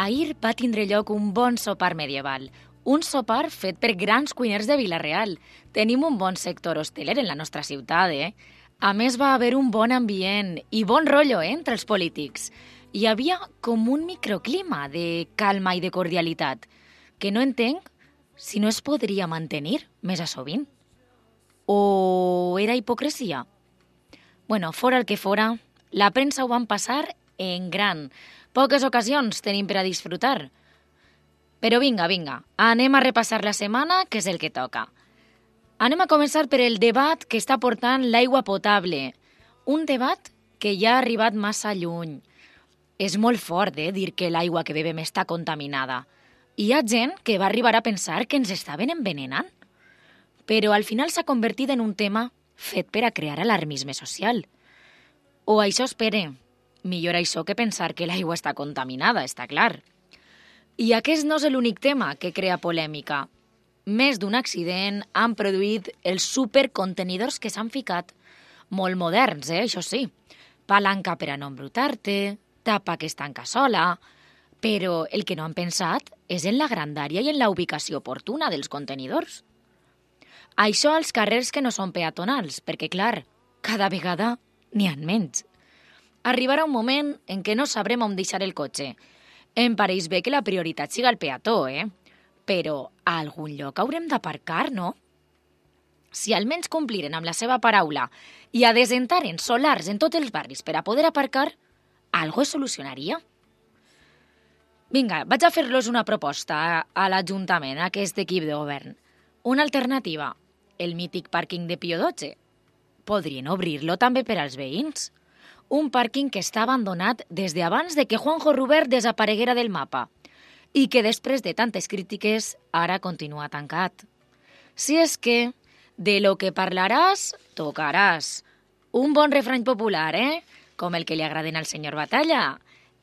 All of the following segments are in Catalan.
Ahir va tindre lloc un bon sopar medieval, un sopar fet per grans cuiners de Vila-real. Tenim un bon sector hosteler en la nostra ciutat, A més, va haver un bon ambient i bon rotllo entre els polítics. Hi havia com un microclima de calma i de cordialitat, que no entenc si no es podria mantenir més a sovint. O era hipocresia? Bueno, fora el que fora, la premsa ho van passar en gran. Poques ocasions tenim per a disfrutar. Però vinga, anem a repassar la setmana, que és el que toca. Anem a començar per el debat que està portant l'aigua potable. Un debat que ja ha arribat massa lluny. És molt fort, dir que l'aigua que bevem està contaminada. Hi ha gent que va arribar a pensar que ens estaven envenenant. Però al final s'ha convertit en un tema fet per a crear alarmisme social. O això espere. Millor això que pensar que l'aigua està contaminada, està clar. I aquest no és l'únic tema que crea polèmica. Més d'un accident han produït els supercontenidors que s'han ficat. Molt moderns, això sí. Palanca per a no embrutar-te, tapa que es tanca sola. Però el que no han pensat és en la grandària i en la ubicació oportuna dels contenidors. Això als carrers que no són peatonals, perquè, clar, cada vegada n'hi ha menys. Arribarà un moment en què no sabrem on deixar el cotxe. Em pareix bé que la prioritat siga el peató, Però a algun lloc haurem d'aparcar, no? Si almenys compliren amb la seva paraula i adesentaren solars en tots els barris per a poder aparcar, algo es solucionaria. Vinga, vaig a fer-los una proposta a l'Ajuntament, a aquest equip de govern. Una alternativa, el mític pàrquing de Pío XII. Podrien obrir-lo també per als veïns. Un pàrquing que està abandonat des d'abans de que Juanjo Rubert desapareguera del mapa i que després de tantes crítiques ara continua tancat. Si és que de lo que parlaràs, tocaràs. Un bon refrany popular, Com el que li agraden al senyor Batalla,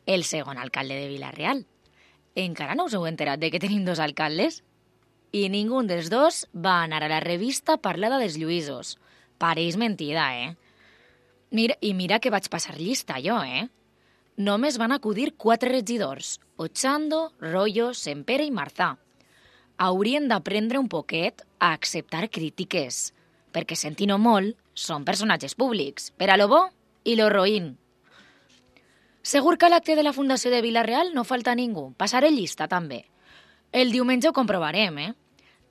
el segon alcalde de Vila-real. Encara no us heu enterat de que tenim dos alcaldes? I ningú dels dos va anar a la revista parlada dels Lluïsos. Pareix mentida, Mira que vaig passar llista jo, Només van acudir 4 regidors, Ochando, Rollo, Sempere i Marzà. Haurien d'aprendre un poquet a acceptar crítiques, perquè sentint-ho molt, són personatges públics, per a lo bo i lo roïn. Segur que a l'acte de la Fundació de Vila-real no falta ningú, passaré llista també. El diumenge ho comprovarem,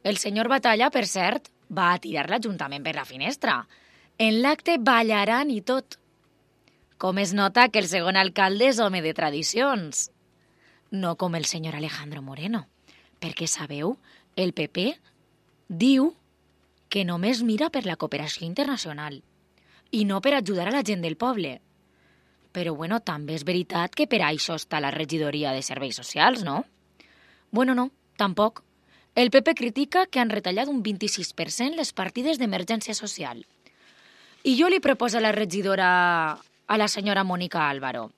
El senyor Batalla, per cert, va a tirar l'Ajuntament per la finestra. En l'acte ballaran i tot. Com es nota que el segon alcalde és home de tradicions. No com el senyor Alejandro Moreno. Perquè, sabeu, el PP diu que només mira per la cooperació internacional i no per ajudar a la gent del poble. Però, bueno, també és veritat que per això està la regidoria de serveis socials, no? Bueno, no, tampoc. El PP critica que han retallat un 26% les partides d'emergència social. I jo li proposo a la regidora, a la senyora Mònica Álvaro,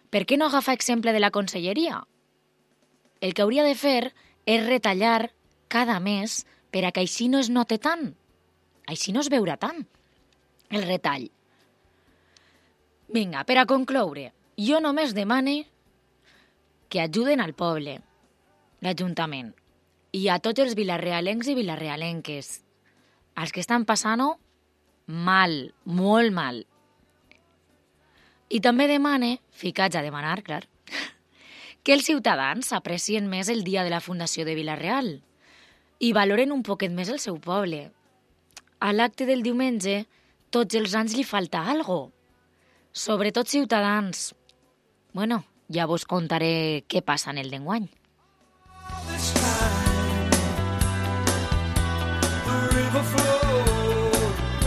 per què no agafa exemple de la conselleria? El que hauria de fer és retallar cada mes per a que així no es note tant. Així no es veurà tant el retall. Vinga, per a concloure, jo només demane que ajuden al poble, l'Ajuntament, i a tots els vilarealencs i vilarealenques, els que estan passant-ho mal, molt mal. I també demane, ficats a demanar, clar, que els ciutadans aprecien més el dia de la Fundació de Vila-real i valoren un poquet més el seu poble. A l'acte del diumenge, tots els anys li falta algo. Sobretot ciutadans. Bueno, ja vos contaré què passa en el d'enguany.